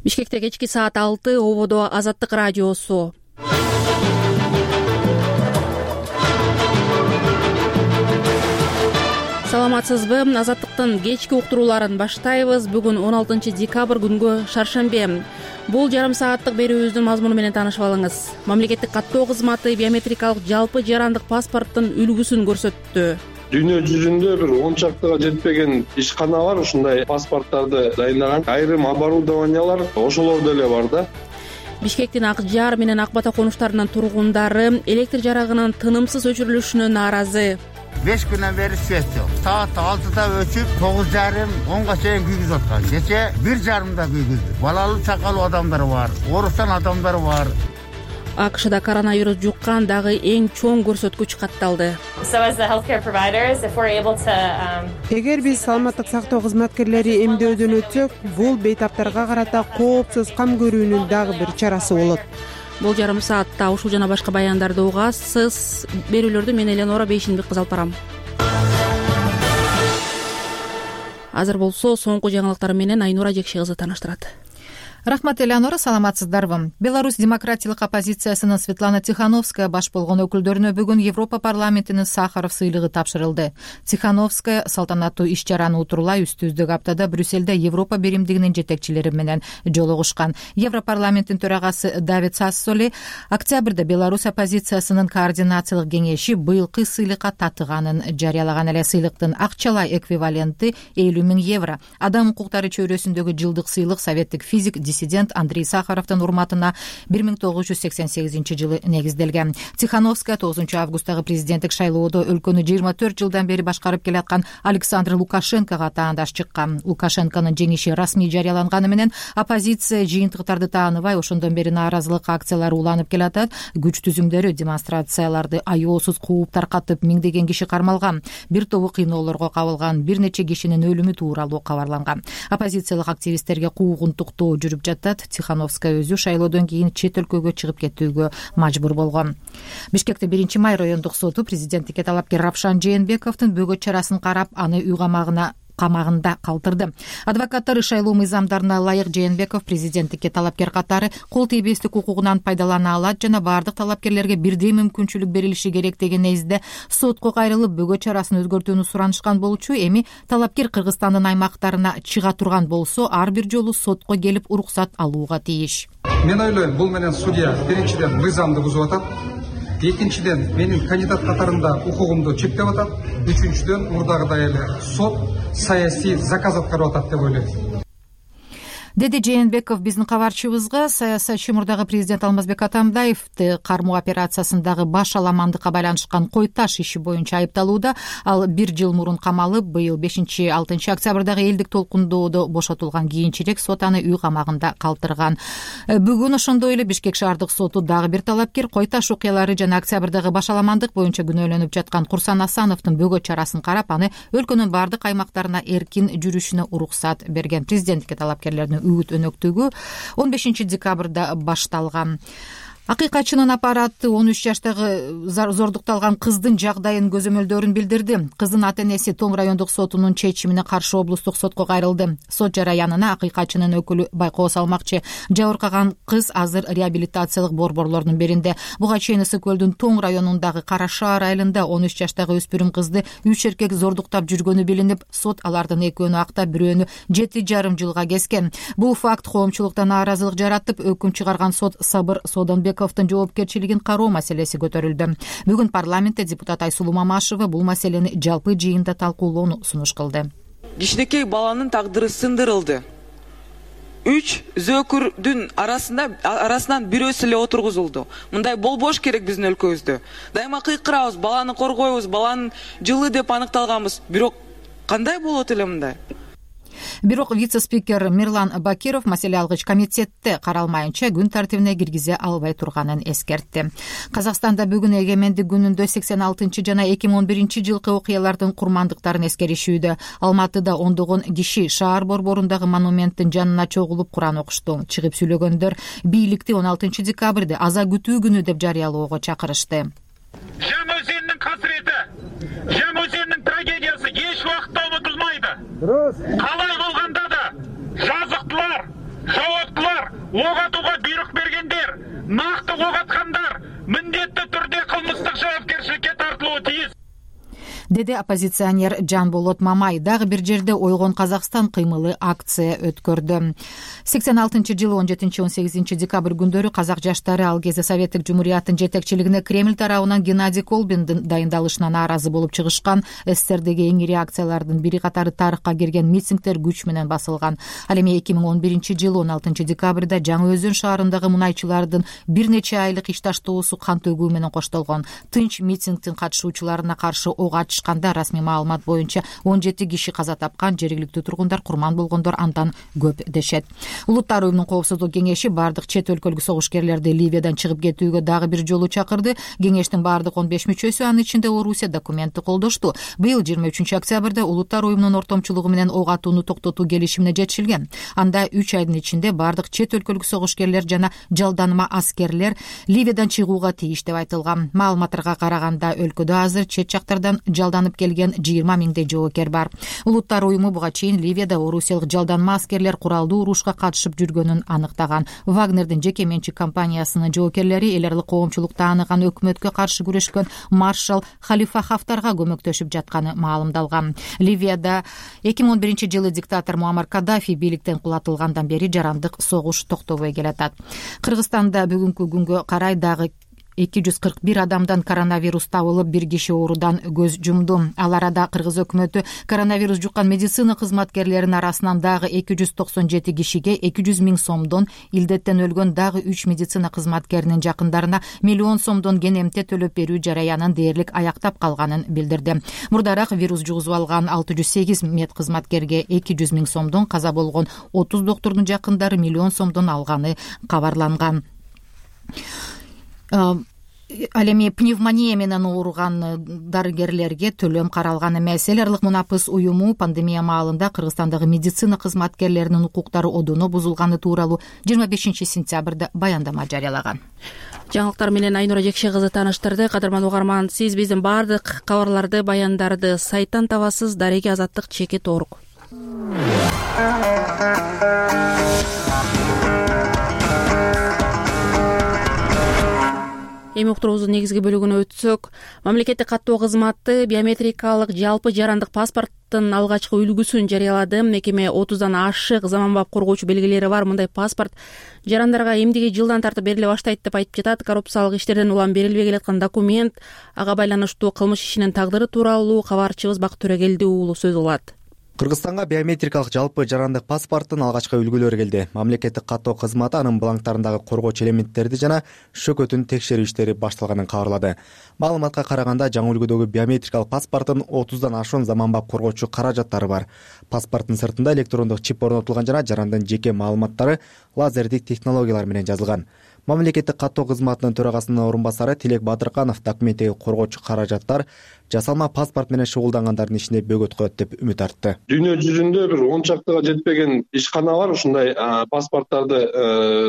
Бишкекте кечки саат 6, ободо Азаттык радиосу. Саламатсызбы? Азаттыктын кечки уктурууларын баштайбыз. Бүгүн 16 декабрь күнгө шаршембе. Бул жарым сааттык берүүбүздүн мазмуну менен таанышып алыңыз. Мамлекеттик каттоо кызматы биометрикалык жалпы жарандык паспорттун үлгүсүн көрсөттү. Дүйнө жүзүндө бир 10 чактыга жетпеген ишкана бар ушундай паспорттарды дайындаган. Айрым оборудованиялар ошолордо эле бар да. Бишкектин Ак Жар менен Ак Бата конуштарынын тургундары электр жарыгынын тынымсыз өчүрүлүшүнө нааразы. 5 күнөн бери свет жок. Саат 6да өчүп 9:30-10га чейин күйгүзүп аткан. Кече 1:30да күйгүздү. Балалуу чакалуу адамдар бар, ооруксан адамдар бар. АКШда коронавирус жуккан дагы эң чоң көрсөткүч катталды. Эгер биз саламаттык сактоо кызматкерлери эмдөөдөн өтсөк, бул бейтаптарга карата коопсуз кам көрүүнүн дагы бир чарасы болот. Бул жарым саатта ушул жана башка баяндарды угасыз. Берүүлөрдү мен Эленора Бейшинбек кызы алып барам. Азыр болсо соңку жаңылыктар менен Айнура Жекши кызы тааныштырат. Рахмат, Элеонора, саламатсыздарбы? Беларусь демократиялык оппозициясынын Светлана Тихановская баш болгон өкүлдөрүнө бүгүн Европа парламентинин Сахаров сыйлыгы тапшырылды. Тихановская салтанаттуу иш-чараны утурлай үстүздүк аптада Брюссельде Европа биримдигинин жетекчилери менен жолугушкан. Европарламенттин төрагасы Давид Сассоли октябрда Беларусь оппозициясынын координациялык кеңеши быйылкы сыйлыкка татыганын жарыялаган. Эле сыйлыктын акчалай эквиваленти 50 000 евро. Адам укуктары чөйрөсүндөгү жылдык сыйлык советтик физик диссидент Андрей Сахаровдун урматына 1988 жылы негизделген. Тихановская 9 августтагы президенттик шайлоодо өлкөнү 24 жылдан бери башкарып келаткан Александр Лукашенкого таандаш чыккан. Лукашенконун жеңиши расмий жарыяланганы менен оппозиция жыйынтыктарды тааныбай, ошондон бери нааразылык акциялары уланып келатат. Күч түзүмдөрү демонстрацияларды аеосуз кууп таркатып, миңдеген киши кармалган. Бир тобу кыйноолорго кабылган, бир нече кишинин өлүмү тууралуу кабарланган. Оппозициялык активисттерге куугунтуктоо жүрүп жатат. Тихановская өзү шайлоодон кийин чет өлкөгө чыгып кетүүгө мажбур болгон. Бишкекте 1 май райондук соту президенттикке талапкер Равшан Жээнбековдун бөгөт чарасын карап, аны үй камагында калтырды. Адвокаттары шайлоо мыйзамдарына ылайык Жээнбеков президенттикке талапкер катары кол тийбестик укугунан пайдалана алат жана бардык талапкерлерге бирдей мүмкүнчүлүк берилиши керек деген незде сотко кайрылып бөгөт чарасын өзгөртүүнү суранышкан болчу. Эми талапкер Кыргызстандын аймактарына чыга турган болсо, ар бир жолу сотко келип уруксат алууга тийиш. Мен ойлойм, бул менен судья биринчиден мыйзамды бузуп атат. Экинчиден, менин кандидат катарында укугумду чектеп атат. Үчүнчүдөн, мурдагыдай эле сот саясий заказ аткарып атат деп ойлойм. Деди Жээнбеков биздин кабарчыбызга. Саясатчы мурдагы президент Алмазбек Атамбаевди кармоо операциясындагы баш аламандыкка байланышкан кой таш иши боюнча айыпталууда. Ал 1 жыл мурун камалып, быйыл 5-6 октябрдагы элдик толкундоодо бошотулган. Кийинчерээк сот аны үй камагында калтырган. Бүгүн ошондой эле Бишкек шаардык соту дагы бир талапкер кой таш окуялары жана октябрдагы баш аламандык боюнча күнөөлөнүп жаткан Курсан Асановдун бөгөт чарасын карап, аны өлкөнүн бардык аймактарына эркин жүрүшүнө уруксат берген. Президенттикке талапкерлердин үгүт өнөктүгү 15 декабрда башталган. Акыйкатчынын аппараты 13 жаштагы зордукталган кыздын жагдайын көзөмөлдөрүн билдирди. Кыздын ата-энеси Том райондук сотунун чечимине каршы облустук сотко кайрылды. Сот жараянына акыйкатчынын өкүлү байкоо салмакчы. Жабыркаган кыз азыр реабилитациялык борборлордун биринде. Буга чейин Ысык көлдүн Тоң районундагы Кара Шаар айылында 13 жаштагы өспүрүм кызды 3 эркек зордуктап жүргөнү билинип, сот алардын экөөнү актап, бирөөнү 7,5 жылга кескен. Бул факт коомчулукта нааразылык жаратып, өкүм чыгарган сот Сабыр Сооданбековдун жоопкерчилигин кароо маселеси көтөрүлдү. Бүгүн парламентте депутат Айсулуу Мамашева бул маселени жалпы жыйында талкуулоону сунуш кылды. Кичинекей баланын тагдыры сындырылды. 3 зөөкүрдүн арасынан бирөөсү эле отургузулду. Мындай болбош керек биздин өлкөбүздө. Дайыма кыйкырабыз, баланы коргойбуз, баланын жылы деп аныкталганбыз. Бирок кандай болот эле мындай? Бирок вице-спикер Мирлан Бакиров маселе алгыч комитетте каралмайынча күн тартибине киргизе албай турганын эскертти. Казакстанда бүгүн эгемендик күнүндө 86 жана 2011 жылкы окуялардын курмандыктарын эскеришүүдө. Алматыда ондогон киши шаар борборундагы монументтин жанына чогулуп Куран окушту. Чыгып сүйлөгөндөр бийликти 16 декабрды аза күтүү күнү деп жарыялоого чакырышты. Жам өзенинин касіреті, жам өзенинин трагедиясы еш уақытта ұмытылмайды. Қалай болғанда да жазықтылар, жауаптылар ок атууга буйрук бергендер, накты ок аткандар міндетті түрде кылмыстык жоопкерчиликке тартылууы тийиз, деди оппозиционер Жанболот Мамай. Дагы бир жерде Ойгон Казакстан кыймылы акция өткөрдү. 86-жылы 17-18 декабрь күндөрү казак жаштары ал кезде Советтик Жумурияттын жетекчилигине Кремль тарабынан Геннадий Колбиндин дайындалышына нааразы болуп чыгышкан. СССРдеги эң ири акциялардын бири катары тарыхка кирген митингдер күч менен басылган. Ал эми 2011-жылы 16 декабрда Жаңы Өзөн шаарындагы мунайчылардын бир нече айлык ишташтоосу кан төгүү менен коштолгон. Тынч митингдин катышуучуларына каршы ок ачышканда расмий маалымат боюнча 17 киши каза тапкан, жергиликтүү тургундар курман болгондор андан көп дешет. Улуттар уюмунун коопсуздук кеңеши бардык чет өлкөлүк согушкерлерди Ливиядан чыгып кетүүгө дагы бир жолу чакырды. Кеңештин бардык 15 мүчөсү, анын ичинде Орусия, документти колдошту. Быйыл 23 октябрда улуттар уюмунун ортомчулугу менен ок атууну токтотуу келишимине жетишилген. Анда 3 айдын ичинде бардык чет өлкөлүк согушкерлер жана жалданыма аскерлер Ливиядан чыгууга тийиш деп айтылган. Маалыматтарга караганда өлкөдө азыр чет жактардан жалданып келген 20 миңдей жоокер бар. Улуттар уюму буга чейин Ливияда орусиялык жалданма аскерлер куралдуу урушка катышып жүргөнүн аныктаган. Вагнердин жеке менчик компаниясынын жоокерлери эл аралык коомчулукта тааныган өкмөткө каршы күрөшкөн маршал Халифа Хафтарга көмөктөшүп жатканы маалымдалган. Ливияда 2011-жылы диктатор Муаммар Каддафи бийликтен кулатылгандан бери жарандык согуш токтобой келатат. Кыргызстанда бүгүнкү күнгө карай дагы 241 адамдан коронавирус табылып, бир киши оорудан көз жумду. Ал арада кыргыз өкмөтү коронавирус жуккан медицина кызматкерлеринин арасынан дагы 297 кишиге 200 миң сомдон, илдеттен өлгөн дагы 3 медицина кызматкеринин жакындарына миллион сомдон кен эмте төлөп берүү жараянын дээрлик аяктап калганын билдирди. Мурдараак вирус жугузуп алган 608 мед кызматкерге 200 миң сомдон, каза болгон 30 доктурдун жакындары миллион сомдон алганы кабарланган. Ал эми пневмония менен ооруган дарыгерлерге төлөм каралган эмес. Эл аралык Мунапыс уюму пандемия маалында Кыргызстандагы медицина кызматкерлеринин укуктары одоно бузулганы тууралуу 25 сентябрда баяндама жарыялаган. Жаңылыктар менен Айнура Жекше кызы тааныштырды. Кадырман угарман, сиз биздин бардык кабарларды, баяндарды сайттан табасыз. Дареги Азаттык _org. Эми уктуруубуздун негизги бөлүгүнө өтсөк, мамлекеттик каттоо кызматы биометрикалык жалпы жарандык паспорттун алгачкы үлгүсүн жарыялады. Мекеме 30дан ашык заманбап коргоочу белгилери бар мындай паспорт жарандарга эмдиги жылдан тартып бериле баштайт деп айтып жатат. Коррупциялык иштерден улам берилбей келаткан документ, ага байланыштуу кылмыш ишинин тагдыры тууралуу кабарчыбыз Бакыт Төрөгелди уулу сөз кылат. Кыргызстанга биометрикалык жалпы жарандык паспорттун алгачкы үлгүлөрү келди. Мамлекеттик каттоо кызматы анын бланктарындагы коргоочу элементтерди жана шөкөтүн текшерүү иштери башталганын кабарлады. Маалыматка караганда, жаңы үлгүдөгү биометрикалык паспорттун 30дан ашуун заманбап коргоочу каражаттары бар. Паспорттун сыртында электрондук чип орнотулган жана жарандын жеке маалыматтары лазердик технологиялар менен жазылган. Мамлекеттик каттоо кызматынын төрагасынын орун басары Тилек Батырканов документтеги коргоочу каражаттар жасалма паспорт менен шугулдангандардын ишине бөгөт коет деп үмүт артты. Дүйнө жүзүндө бир 10 чактыга жетпеген ишкана бар ушундай паспорттарды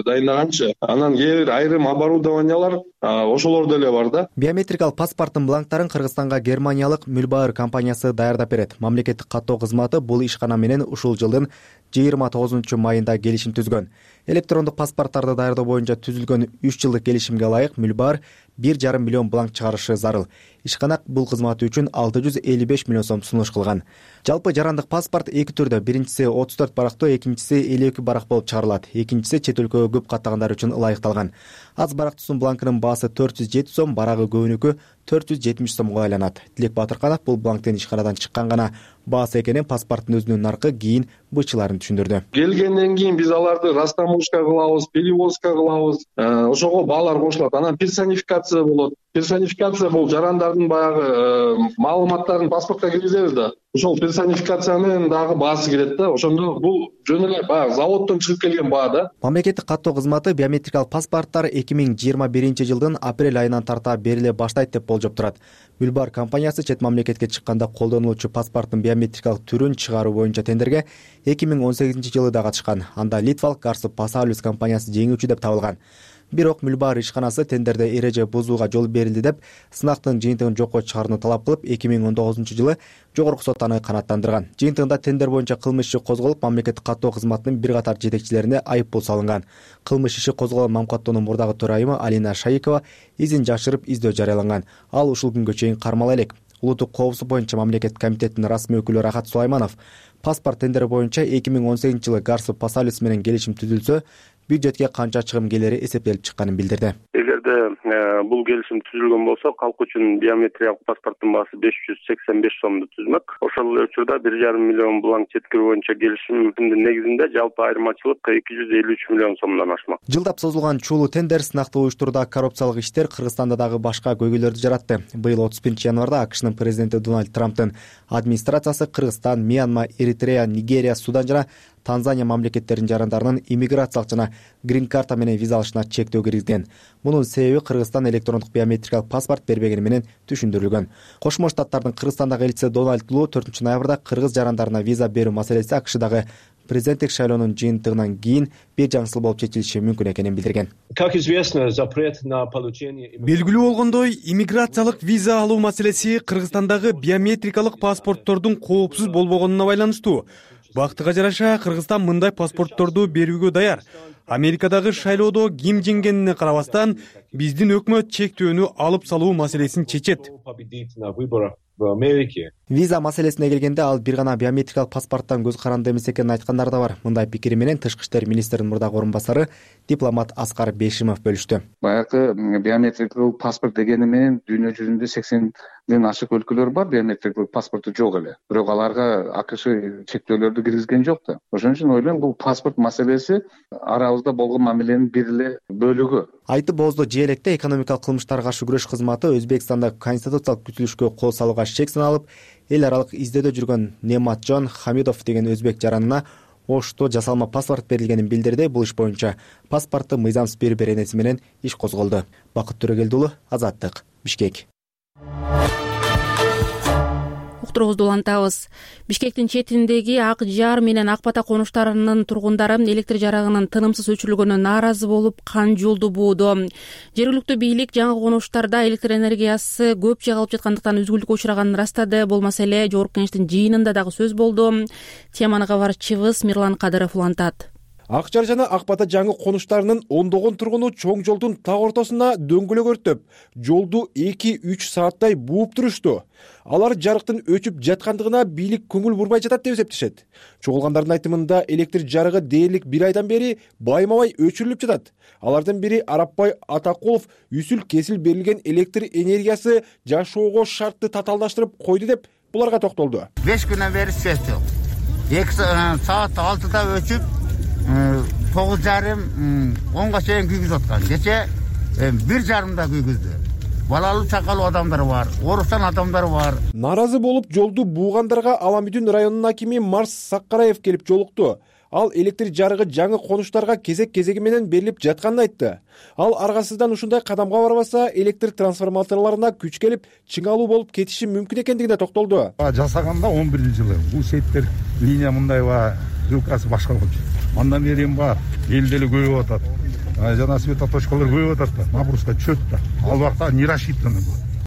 дайындаганчы. Анан кээ бир айрым оборудованиялар ошолор деле бар да. Биометрикалык паспорттун бланктарын Кыргызстанга германиялык Мülbaer компаниясы даярдап берет. Мамлекеттик каттоо кызматы бул ишкана менен ушул жылдын 29 майында келишим түзгөн. Электрондук паспорттарды даярдоо боюнча түзүлгөн 3 жылдык келишимге ылайык Mülbaer 1,5 миллион бланк чыгарышы зарыл. Ишкана бул кызматы үчүн 655 миллион сом сунуш кылган. Жалпы жарандык паспорт эки түрдө, биринчиси 34 барактуу, экинчиси 52 барак болуп чыгарылат. Экинчиси чет өлкөгө көп каттагандар үчүн ылайыкталган. Аз барактуусунун бланкынын баасы 407 сом, барагы көбүнүкү 470 сомго айланат. Тилек Батырканов бул бланктын ишканадан чыккан гана баасы экенин, паспорттун өзүнүн наркы кийин бычыларын түшүндүрдү. Келгенден кийин биз аларды растаможка кылабыз, перевозка кылабыз. Ошого баалар кошулат. Анан персонификация болот. Персонификация бул жарандардын баягы маалыматтарын паспортко киргизебиз да. Ошол персонификациянын дагы баасы кирет да. Ошондо бул жөн эле баягы заводдон чыгып келген баа да. Мамлекеттик каттоо кызматы биометрикалык паспорттар 2021 жылдын апрель айынан тарта бериле баштайт деп болжоп турат. Mülbaer компаниясы чет мамлекетке чыкканда колдонулуучу паспорттун биометрикалык түрүн чыгаруу боюнча тендерге 2018 жылы да катышкан. Анда литвалык Garsu Pasaulis компаниясы жеңүүчү деп табылган. Бирок Мүлбаар ишканасы тендерде эреже бузууга жол берилди деп сынактын жыйынтыгын жокко чыгарууну талап кылып 2019-жылы Жогорку сот аны канааттандырган. Жыйынтыгында тендер боюнча кылмыш иши козголуп, мамлекеттик каттоо кызматынын бир катар жетекчилерине айыппул салынган. Кылмыш иши козголгон МАМКаттоонун мурдагы төрайымы Алина Шаикова изин жашырып издөө жарыяланган. Ал ушул күнгө чейин кармала элек. Улуттук коопсуздук боюнча мамлекеттик комитеттин расмий өкүлү Рахат Сулайманов паспорт тендери боюнча 2018-жылы Гарсу Пасалис менен келишим түзүлсө, бюджетке канча чыгым келери эсептелип чыкканын билдирди. Эгерде бул келишим түзүлгөн болсо, калк үчүн биометриялык паспорттун баасы 585 сомду түзмөк. Ошол эле учурда 1,5 миллион булаң четкирүү боюнча келишимдин негизинде жалпы айырмачылык 253 миллион сомдон ашмак. Жылдап созулган чуулуу тендер сынакты уюштурууда коррупциялык иштер Кыргызстанда дагы башка көйгөйлөрдү жаратты. Быйыл 31-январда АКШнын президенти Дональд Трамптын администрациясы Кыргызстан, Мьянма, Эритрея, Нигерия, Судан жана Танзания мамлекеттеринин жарандарынын иммиграциялык жана грин карта менен виза алышына чектөө киргизген. Мунун себеби Кыргызстан электрондук биометрикалык паспорт бербегени менен түшүндүрүлгөн. Кошмо Штаттардын Кыргызстандагы элчиси Дональд Лу 4-ноябрда кыргыз жарандарына виза берүү маселеси АКШдагы президенттик шайлоонун жыйынтыгынан кийин бир жаңсыл болуп чечилиши мүмкүн экенин билдирген. Белгилүү болгондой, иммиграциялык виза алуу маселеси Кыргызстандагы биометрикалык паспорттордун коопсуз болбогонуна байланыштуу. Бактыга жараша Кыргызстан мындай паспортторду берүүгө даяр. Америкадагы шайлоодо ким жеңгенине карабастан биздин өкмөт чектөөнү алып салуу маселесин чечет. Виза маселесине келгенде ал бир гана биометрикалык паспорттон көз каранды эмес экенин айткандар да бар. Мындай пикири менен Тышкы иштер министринин мурдагы орун басары дипломат Аскар Бейшимов бөлүштү. Баягы биометрикалык паспорт дегени менен дүйнө жүзүндө 80ден ашык өлкөлөр бар, биометрикалык паспорту жок эле. Бирок аларга АКШ чектөөлөрдү киргизген жок да. Ошон үчүн ойлойм, бул паспорт маселеси арабызда болгон мамиленин бир эле бөлүгү. Айтып Боздо Желекте экономикалык кылмыштарга каршы күрөш кызматы Өзбекстанда конституциялык түзүлүшкө кол салууга шек саналып, эл аралык издөөдө жүргөн Нематжон Хамидов деген өзбек жаранына Ошто жасалма паспорт берилгенин билдирди. Бул иш боюнча паспортту мыйзамсыз берүү беренеси менен иш козголду. Бакыт Төрөгелди уулу, Азаттык, Бишкек. Уктуруубузду улантабыз. Бишкектин четиндеги Ак Жар менен Ак Бата конуштарынын тургундары электр жарыгынын тынымсыз өчүрүлгөнүнө нааразы болуп, кан жолду бууда. Жергиликтүү бийлик жаңы конуштарда электр энергиясы көп жайгалып жаткандыктан үзгүлтүккө учраганын ырастады. Бул маселе Жогорку Кеңештин жыйынында дагы сөз болду. Теманы кабарчыбыз Мирлан Кадыров улантат. Ак Жар жана Ак Бата жаңы конуштарынын ондогон тургуну чоң жолдун так ортосуна дөңгөлөк өрттөп, жолду 2-3 сааттай бууп турушту. Алар жарыктын өчүп жаткандыгына бийлик көңүл бурбай жатат деп эсептешет. Чогулгандардын айтымында электр жарыгы дээрлик 1 айдан бери байма-бай өчүрүлүп жатат. Алардын бири Арапбай Атакулов үсүл-кесил берилген электр энергиясы жашоого шартты татаалдаштырып койду деп буларга токтолду. 5 күнөн бери свет жок. 2 саат 6да өчүп 9:30-10га чейин күйгүзүп аткан. Кече 1:30да күйгүздү. Балалуу чакалуу адамдар бар, ооруксан адамдар бар. Наразы болуп жолду буугандарга Аламүдүн районунун акими Марс Саккараев келип жолукту. Ал электр жарыгы жаңы конуштарга кезек-кезеги менен берилип жатканын айтты. Ал аргасыздан ушундай кадамга барбаса, электр трансформаторлоруна күч келип, чыңалуу болуп кетиши мүмкүн экендигине токтолду. Жасаганда 11-жылы бул сеттер линия мындайба жилкасы башка болчу. Андан бери бар, элде эле көбөйүп атат. Жана светоточкалар көбөйүп атат да, набруска чөт да. Ал убакта не рассчитано.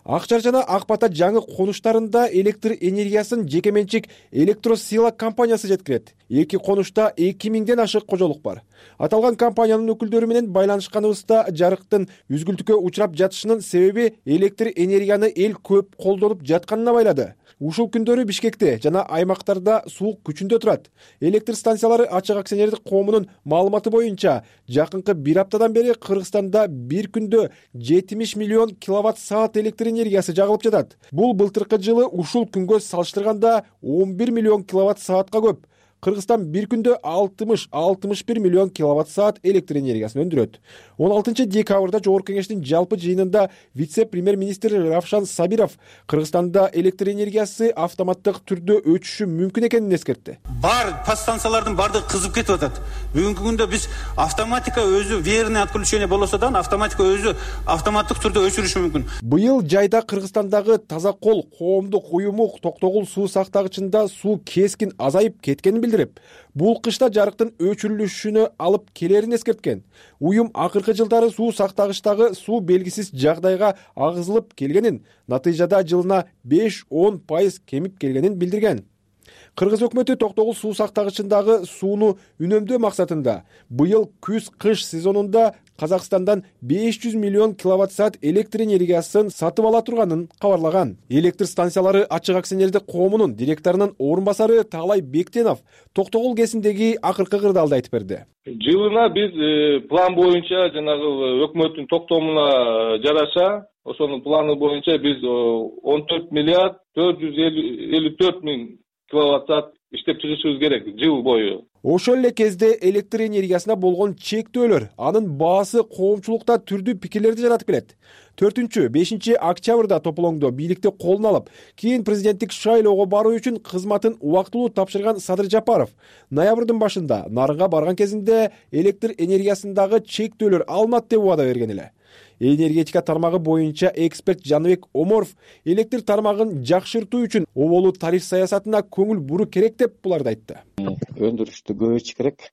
Ак Жар жана Ак Бата жаңы конуштарында электр энергиясын жекеменчик Электросила компаниясы жеткирет. Эки конушта 2000ден ашык кожолук бар. Аталган компаниянын өкүлдөрү менен байланышканыбызда жарыктын үзгүлтүккө учурап жатышынын себеби электр энергияны эл көп колдонуп жатканына байлады. Ушул күндөрү Бишкекте жана аймактарда суук күчүндө турат. Электр станциялары ачык акционердик коомунун маалыматы боюнча, жакынкы 1 аптадан бери Кыргызстанда бир күндө 70 миллион киловатт-саат электр энергиясы жагылып жатат. Бул былтыркы жылы ушул күнгө салыштырганда 11 миллион киловатт-саатка көп. Кыргызстан бир күндө 60-61 миллион киловатт-саат электр энергиясын өндүрөт. 16 декабрда Жогорку Кеңештин жалпы жыйынында вице-премьер-министр Равшан Сабиров Кыргызстанда электр энергиясы автоматтык түрдө өчүшү мүмкүн экенин эскертти. Бар подстанциялардын бардыгы кызып кетип атат. Бүгүнкү күндө биз автоматика өзү верное отключение болсо да, автоматика өзү автоматтык түрдө өчүрүшү мүмкүн. Быйыл жайда Кыргызстандагы Таза кол коомдук уюму Токтогул суу сактагычында суу кескин азайып кеткенин билдирип, бул кышта жарыктын өчүрүлүшүнө алып келерин эскерткен. Уюм акыркы жылдары суу сактагычтагы суу белгисиз жагдайга агызылып келгенин, натыйжада жылына 5-10% кемип келгенин билдирген. Кыргыз өкмөтү Токтогул суу сактагычындагы сууну үнөмдөө максатында быйыл күз-кыш сезонунда Казакстандан 500 миллион киловатт-саат электр энергиясын сатып ала турганын кабарлаган. Электр станциялары ачык акционердик коомунун директорунун орун басары Таалай Бектенов Токтогул КЭСиндеги акыркы кырдаалды айтып берди. Жылына биз план боюнча жанагы өкмөттүн токтомуна жараша, ошонун планы боюнча биз 14 миллиард 454 миң киловатт-саат иштеп чыгышыбыз керек жыл бою. Ошол эле кезде электр энергиясына болгон чектөөлөр, анын баасы коомчулукта түрдүү пикирлерди жаратып келет. 4-5 октябрда тополоңдо бийликти колуна алып, кийин президенттик шайлоого баруу үчүн кызматын убактылуу тапшырган Садыр Жапаров ноябрдын башында нарынга барган кезинде электр энергиясындагы чектөөлөр алынат деп убада берген эле. Энергетика тармагы боюнча эксперт Жаныбек Оморов электр тармагын жакшыртуу үчүн оболуу тариф саясатына көңүл буруу керек деп буларды айтты. Өндүрүштү көбөйтүш керек.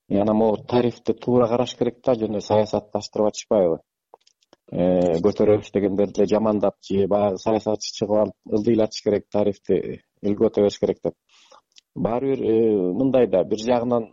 Жана могу тарифти туура караш керек да, жөн саясатташтырып атышпайбы. Көтөрөбүз дегендерди эле жамандап, же баягы саясатчы чыгып алып ылдыйлатыш керек, тарифти илгөтө бериш керек деп. Баары бир мындай да, бир жагынан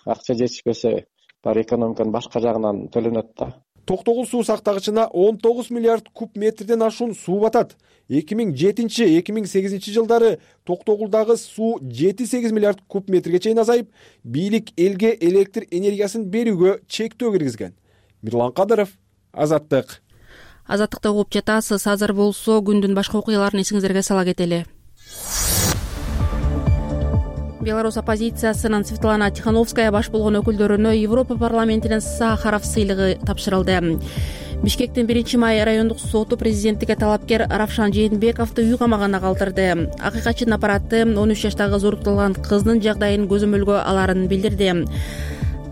акча жетишпесе, баары экономиканын башка жагынан төлөнөт да. Токтогул суу сактагычына 19 миллиард куб метрден ашуун суу батат. 2007-2008 жылдары Токтогулдагы суу 7-8 миллиард куб метрге чейин азайып, бийлик элге электр энергиясын берүүгө чектөө киргизген. Мирлан Кадыров, Азаттык. Азаттыкты угуп жатасыз. Азыр болсо күндүн башка окуяларын эсиңиздерге сала кетели. Беларусь оппозициясынын Светлана Тихановская баш болгон өкүлдөрүнө Европа парламентинин Сахаров сыйлыгы тапшырылды. Бишкектин 1-май райондук соту президенттикке талапкер Равшан Жээнбековду үй камагына калтырды. Акыйкатчынын аппараты 13 жаштагы зорукталган кыздын жагдайын көзөмөлгө аларын билдирди.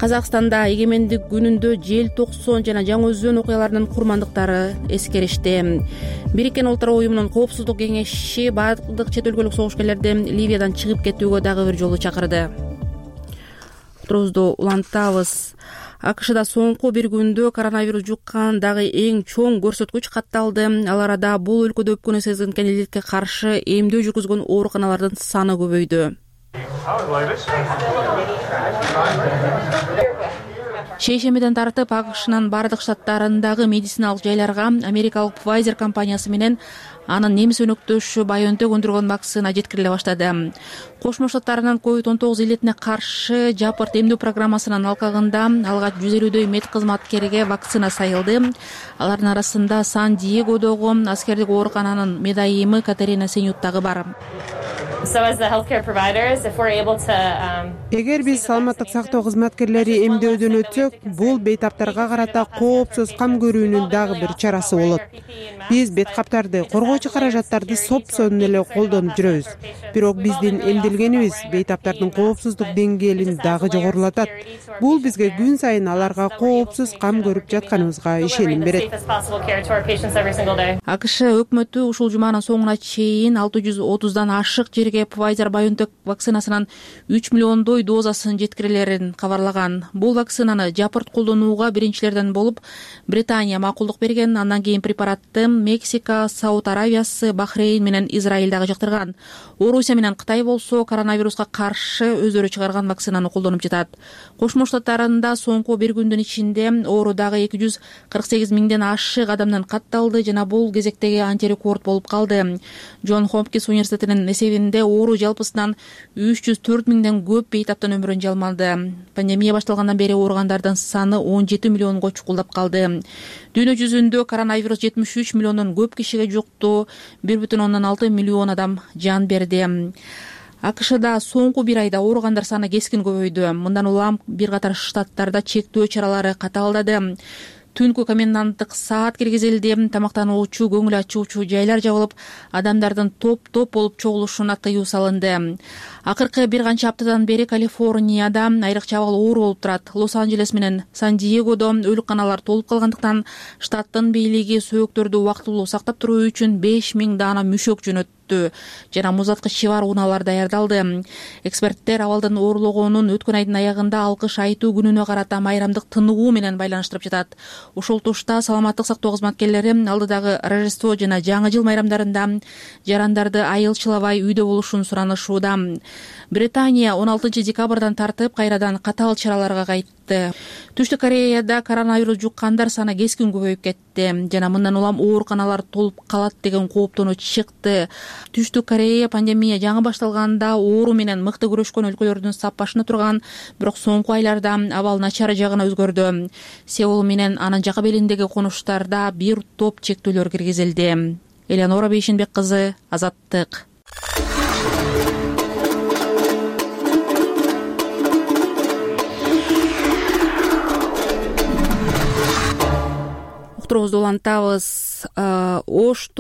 Казакстанда эгемендик күнүндө жел 90 жана жаңы өзөн окуяларынын курмандыктары эскеришти. Бириккен Улуттар уюмунун коопсуздук кеңеши бардык чет өлкөлүк согушкерлерди Ливиядан чыгып кетүүгө дагы бир жолу чакырды. Турубузду улантабыз. АКШда соңку бир күндө коронавирус жуккан дагы эң чоң көрсөткүч катталды. Ал арада бул өлкөдө өпкөнү сезген илдетке каршы эмдөө жүргүзгөн ооруканалардын саны көбөйдү. Шейшембиден тартып АКШнын бардык штаттарындагы медициналык жайларга америкалык Pfizer компаниясы менен анын немис өнөктөшү BioNTech өндүргөн вакцина жеткириле баштады. Кошмо Штаттарынын COVID-19 илетине каршы жапырт эмдөө программасынын алкагында алгач 150дөй медкызматкерге вакцина сайылды. Алардын арасында Сан-Диегодогу аскердик оорукананын медайымы Катерина Сенют дагы бар. Эгер биз саламаттык сактоо кызматкерлери эмдөөдөн өтсөк, бул бейтаптарга карата коопсуз кам көрүүнүн дагы бир чарасы болот. Биз беткаптарды, коргоочу каражаттарды сопсонун эле колдонуп жүрөбүз. Бирок биздин эмдилгенибиз бейтаптардын коопсуздук деңгээлин дагы жогорулатат. Бул бизге күн сайын аларга коопсуз кам көрүп жатканыбызга ишеним берет. АКШ өкмөтү ушул жуманын соңуна чейин 630дан ашык жерге Pfizer BioNTech вакцинасынын 3 миллиондой дозасын жеткирилерин кабарлаган. Бул вакцинаны жапырт колдонууга биринчилерден болуп Британия макулдук берген. Андан кийин препаратты Мексика, Сауд Аравиясы, Бахрейн менен Израиль дагы жактырган. Орусия менен Кытай болсо коронавируска каршы өздөрү чыгарган вакцинаны колдонуп жатат. Кошмо Штаттарында соңку бир күндүн ичинде оору дагы 248 миңден ашык адамдан катталды жана бул кезектеги антирекорд болуп калды. Джон Хопкинс университетинин эсебинде оору жалпысынан 304 миңден көп бейтаптан өмүрүн жалмады. Пандемия башталгандан бери ооругандардын саны 17 миллионго чукулдап калды. Дүйнө жүзүндө коронавирус 73 миллиондон көп кишиге жукту, 1,6 миллион адам жан берди. АКШда соңку бир айда ооругандар саны кескин көбөйдү. Мындан улам бир катар штаттарда чектөө чаралары катаалдады. Түнкү коменданттык саат киргизилди, тамактануучу, көңүл ачуучу жайлар жабылып, адамдардын топ-топ болуп чогулушуна тыюу салынды. Акыркы бир канча аптадан бери Калифорнияда айрыкча абал оор болуп турат. Лос-Анджелес менен Сан-Диегодо өлүкканалар толуп калгандыктан штаттын бийлиги сөөктөрдү убактылуу сактап туруу үчүн 5 миң даана мүшөк жөнөттү. өттү жана муз аткычы бар унаалар даярдалды. Эксперттер абалдын оорлогонун өткөн айдын аягында алкыш айтуу күнүнө карата майрамдык тынугуу менен байланыштырып жатат. Ушул тушта саламаттык сактоо кызматкерлери алдыдагы Рождество жана Жаңы жыл майрамдарында жарандарды айылчылабай үйдө болушун суранышууда. Британия 16 декабрдан тартып кайрадан катаал чараларга кайтты. Түштүк Кореяда коронавирус жуккандар саны кескин көбөйүп кетти жана мындан улам ооруканалар толуп калат деген кооптонуу чыкты. Түштүк Корея пандемия жаңы башталганда оору менен мыкты күрөшкөн өлкөлөрдүн саппашына турган, бирок соңку айларда абал начар жагына өзгөрдү. Сеул менен анын жака белиндеги конуштарда бир топ чектөөлөр киргизилди. Элеонора Бейшенбек кызы, Азаттык. Уктуруубузду улантабыз. Ош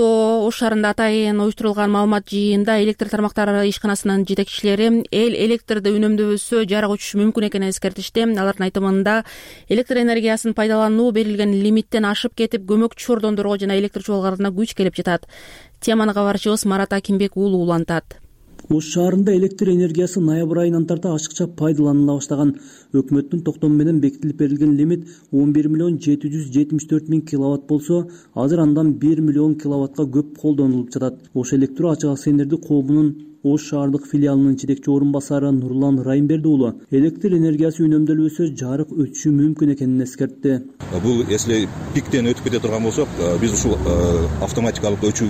шаарында атайын уюштурулган маалымат жыйында электр тармактары ишканасынын жетекчилери эл электрди үнөмдөбөсө жарык өчүшү мүмкүн экенин эскертишти. Алардын айтымында электр энергиясын пайдалануу берилген лимиттен ашып кетип көмөкчү ордондорго жана электр чуалдарына күч келип жатат. Теманы кабарчыбыз Марат Акимбек уулу улантат. Ош шаарында электр энергиясы ноябрь айынан тарта ашыкча пайдаланыла баштаган. Өкмөттүн токтому менен бекитилип берилген лимит 11,774,000 киловатт болсо, азыр андан 1 миллион киловаттка көп колдонулуп жатат. Ош электро ачык акционердик коомунун Ош шаардык филиалынын жетекчи орун басары Нурлан Райымберди уулу электр энергиясы үнөмдөлбөсө жарык өтүшү мүмкүн экенин эскертти. Бул если пиктен өтүп кете турган болсок, биз ушул автоматикалык өчүү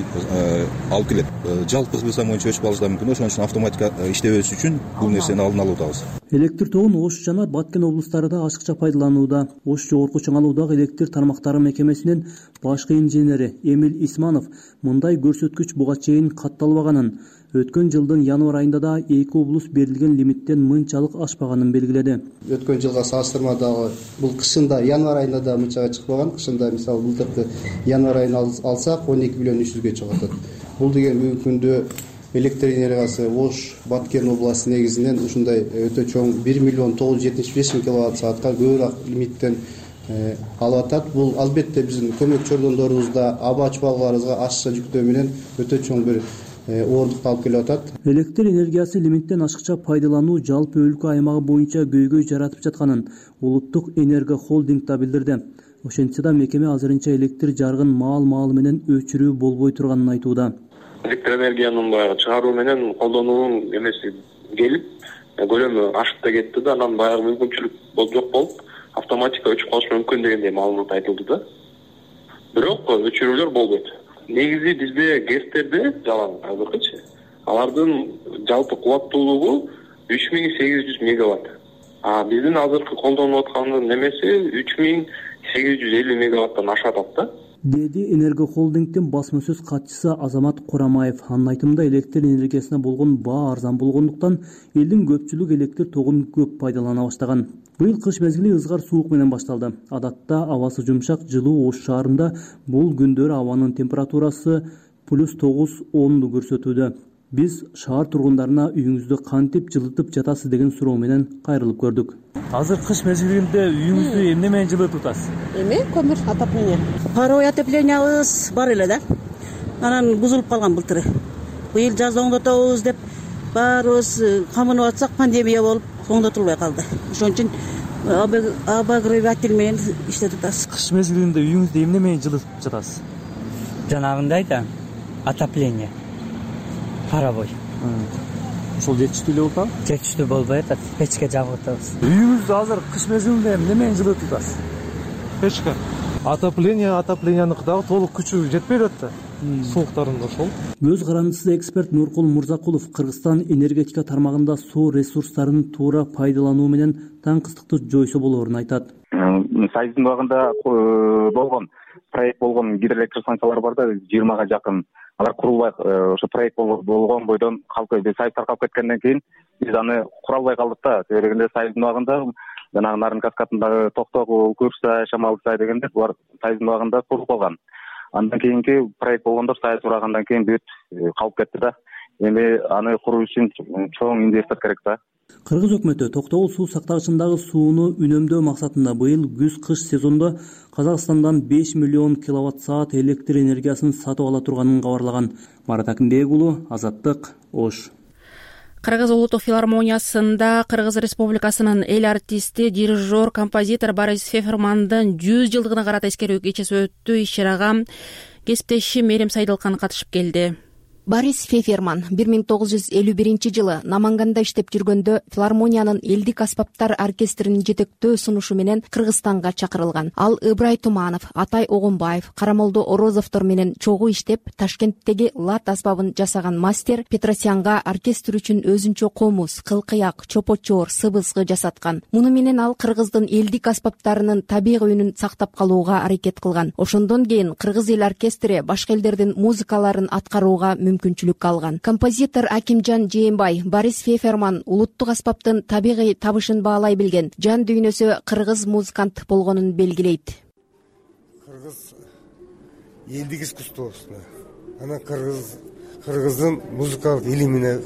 алып келет. Жалпы кылсам боюнча өчүп калышы да мүмкүн. Ошон үчүн автоматика иштебеш үчүн бул нерсени алдын алып атабыз. Электр тогун Ош жана Баткен облустарында ашыкча пайдаланууда. Ош жогорку чоңалуудагы электр тармактары мекемесинин башкы инженери Эмил Исманов мындай көрсөткүч буга чейин катталбаганын, өткөн жылдын январь айында да эки облус берилген лимиттен мынчалык ашпаганын белгиледи. Өткөн жылга салыштырмадагы бул кышында январь айында да мынчага чыкпаган. Кышында мисалы былтыркы январь айын алсак 12 миллион 300ге чыгып атат. Бул деген бүгүнкү күндө электр энергиясы Ош Баткен областы негизинен ушундай өтө чоң 1 миллион 975 киловатт саатка көбүрөөк лимиттен алып атат. Бул албетте биздин көмөкчү ордондорубузда аба чуалдарыбызга ашыкча жүктөө менен өтө чоң бир оорундукту алып келип атат. Электр энергиясы лимиттен ашыкча пайдалануу жалпы өлкө аймагы боюнча көйгөй жаратып жатканын Улуттук энерго холдинг да билдирди. Ошентсе да мекеме азырынча электр жарыгын маал менен өчүрүү болбой турганын айтууда. Электр энергиянын баягы чыгаруу менен колдонуунун эмеси келип, көлөмү ашып да кетти да, анан баягы мүмкүнчүлүк жок болуп, автоматика өчүп калышы мүмкүн дегендей маалымат айтылды да. Бирок өчүрүүлөр болбойт. Негизи бизде ГЭСтерде жалаң азыркычы алардын жалпы кубаттуулугу 3800 мегаватт. Биздин азыркы колдонуп аткандын немеси 3850 мегаваттан ашып атат да. Деди энергохолдингдин басма сөз катчысы Азамат Курамаев. Анын айтымында электр энергиясына болгон баа арзан болгондуктан элдин көпчүлүк электр тогун көп пайдалана баштаган. Быйыл кыш мезгили ызгар суук менен башталды. Адатта абасы жумшак, жылуу Ош шаарында бул күндөрү абанын температурасы +9-10 көрсөтүүдө. Биз шаар тургундарына үйүңүздү кантип жылытып жатасыз деген суроо менен кайрылып көрдүк. Азыр кыш мезгилинде үйүңүздү эмне менен жылытып атасыз? Көмүр отопление. Паровой отоплениябыз бар эле да. Анан бузулуп калган былтыры. Быйыл жаз оңдотобуз деп баарыбыз камынып атсак, пандемия болуп оңдотулбай калды. Ошон үчүн обогреватель менен иштетип атабыз. Кыш мезгилинде үйүңүздү эмне менен жылытып жатасыз? Жанагындай да отопление. Паровой. Ошол жетиштүү эле болуп атабы? Жетиштүү болбой атат. Печке жагып атабыз. Үйүңүздү азыр кыш мезгилинде эмне менен жылытып атасыз? Печка. Отопленияныкі дагы толук күчү жетпей жатты. Сууктарында ошол. Көз карандысыз эксперт Нуркул Мурзакулов Кыргызстан энергетика тармагында суу ресурстарын туура пайдалануу менен таңкыстыкты жойсо болоорун айтат. Союздун убагында болгон проект болгон гидроэлектростанциялар бар да, 20га жакын. Алар курулбай, ошо проект болгон бойдон калкып, Союз таркап кеткенден кийин биз аны кура албай калдык да. Себебинде Союздун убагында жанагы Нарын каскадындагы Токтогул, Курсай, Шамалсай дегенде булар Союздун убагында курулуп калган. Андан кийинки проект болгондор Союз кургандан кийин бүт калып кетти да. Эми аны куруу үчүн чоң инвестор керек да. Кыргыз өкмөтү токтогул суу сактагычындагы сууну үнөмдөө максатында быйыл күз-кыш сезондо Казакстандан 5 миллион киловатт-саат электр энергиясын сатып ала турганын кабарлаган. Марат Акимбек уулу, Азаттык, Ош. Кыргыз улуттук филармониясында Кыргыз Республикасынын эл артисти, дирижер, композитор Борис Фефермандын 100 жылдыгына карата эскерүү кечеси өттү. Иш-чарага кесиптешим Мерим Сайдылкан катышып келди. Борис Феферман 1951-жылы Наманганда иштеп жүргөндө филармониянын элдик аспаптар оркестринин жетектөө сунушу менен Кыргызстанга чакырылган. Ал Ыбырай Туманов, Атай Огонбаев, Карамолдо Орозовдор менен чогуу иштеп, Ташкенттеги лат аспабын жасаган мастер Петросянга оркестр үчүн өзүнчө комуз, кылкыяк, чопочор, сыбызгы жасаткан. Муну менен ал Кыргыздын элдик аспаптарынын табигый үнүн сактап калууга аракет кылган. Ошондон кийин Кыргыз эл оркестри башка элдердин музыкаларын аткарууга мүмкүнчүлүк алган. Композитор Акимжан Жээнбай Борис Феферман улуттук аспаптын табигый табышын баалай билген, жан дүйнөсү кыргыз музыкант болгонун белгилейт. Кыргыз элдик искусствосуна, анан кыргыздын музыкалык илимине,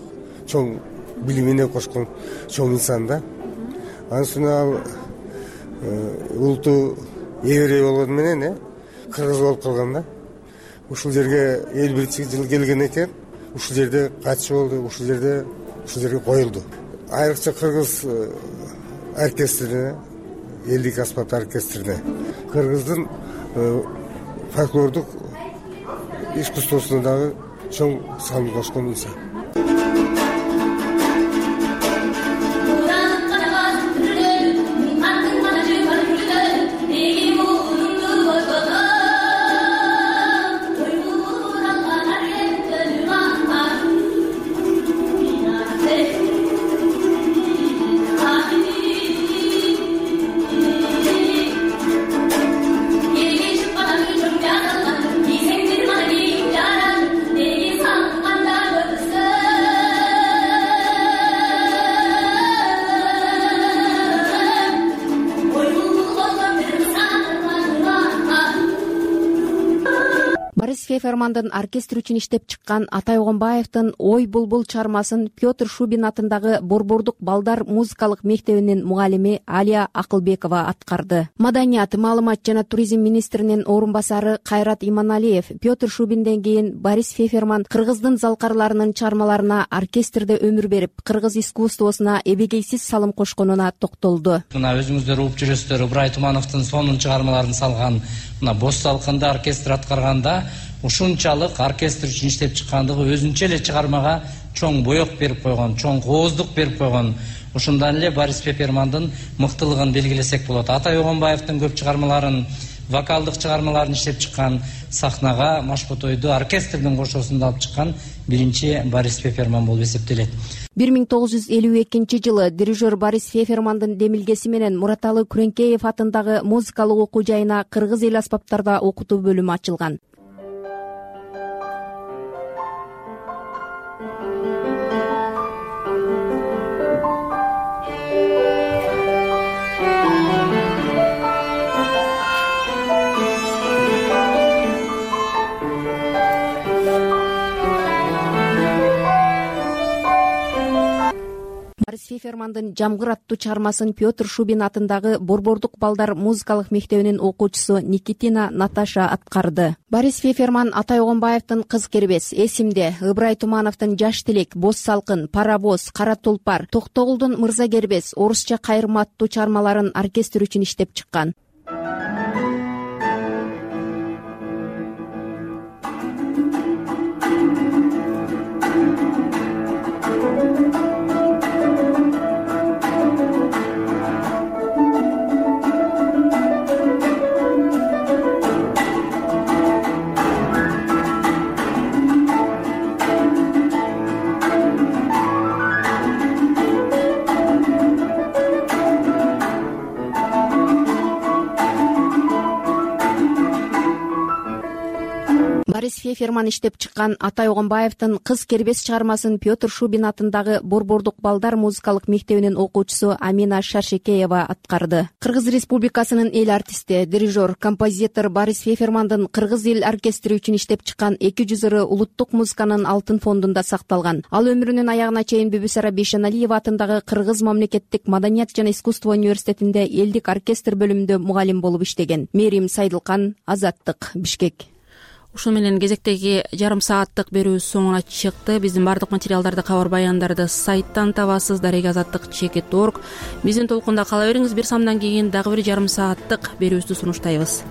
чоң билимине кошкон чоң инсан да. Анын үстүнө ал улутту эверей болгону менен кыргыз болуп калган да. Ушул жерге 51-жылы келген экен, ушул жерде катчы болду, ушул жерге коюлду. Айрыкча кыргыз оркестрине, элдик аспаптар оркестрине, кыргыздын фольклордук искусствосуна дагы чоң салым кошкон инсан. Фефермандын оркестр үчүн иштеп чыккан Атай Огонбаевдин Ой булбул чармасын Петр Шубин атындагы Борбордук балдар музыкалык мектебинин мугалими Алия Акылбекова аткарды. Маданият, маалымат жана туризм министринин орун басары Кайрат Иманалиев Петр Шубинден кийин Борис Феферман кыргыздын залкарларынын чармаларына оркестрде өмүр берип, кыргыз искусствосуна эбегейсиз салым кошконуна токтолду. Мына өзүңүздөр угуп жүрөсүздөр, Ыбырай Тумановдун сонун чыгармаларын салган, мына Боз салкында оркестр аткарганда ушунчалык оркестр үчүн иштеп чыккандыгы өзүнчө эле чыгармага чоң боек берип койгон, чоң кооздук берип койгон. Ошондон эле Борис Фефермандын мыктылыгын белгилесек болот. Атай Огонбаевдин көп чыгармаларын, вокалдык чыгармаларын иштеп чыккан, сахнага Машботойду оркестрдин кошуусунда алып чыккан биринчи Борис Феферман болуп эсептелет. 1952-жылы дирижер Борис Фефермандын демилгеси менен Мураталы Күреңкеев атындагы музыкалык окуу жайына кыргыз эл аспаптарда окутуу бөлүмү ачылган. Борис Фефермандын Жамгыр аттуу чармасын Петр Шубин атындагы Борбордук балдар музыкалык мектебинин окуучусу Никитина Наташа аткарды. Борис Феферман Атай Огонбаевдин Кыз кербес, Эсимде, Ыбырай Тумановдун Жаш тилек, Боз салкын, Парабоз, Кара тулпар, Токтогулдун Мырза кербес, Орусча кайрма аттуу чармаларын оркестр үчүн иштеп чыккан. Борис Феферман иштеп чыккан Атай Огонбаевдин Кыз кербес чыгармасын Петр Шубин атындагы Борбордук балдар музыкалык мектебинин окуучусу Амина Шаршекеева аткарды. Кыргыз Республикасынын эл артисти, дирижер, композитор Борис Фефермандын Кыргыз эл оркестри үчүн иштеп чыккан 200 ыры улуттук музыканын алтын фондунда сакталган. Ал өмүрүнүн аягына чейин Бүбүсара Бейшеналиева атындагы Кыргыз мамлекеттик маданият жана искусство университетинде элдик оркестр бөлүмүндө мугалим болуп иштеген. Мерим Сайдылкан, Азаттык, Бишкек. Ушул менен кезектеги жарым сааттык берүүбүз соңуна чыкты. Биздин бардык материалдарды, кабар баяндарды сайттан табасыз. darega-azаттык.org. Биздин толкунда кала бериңиз. Бир самдан кийин дагы бир жарым сааттык берүүбүздү сунуштайбыз.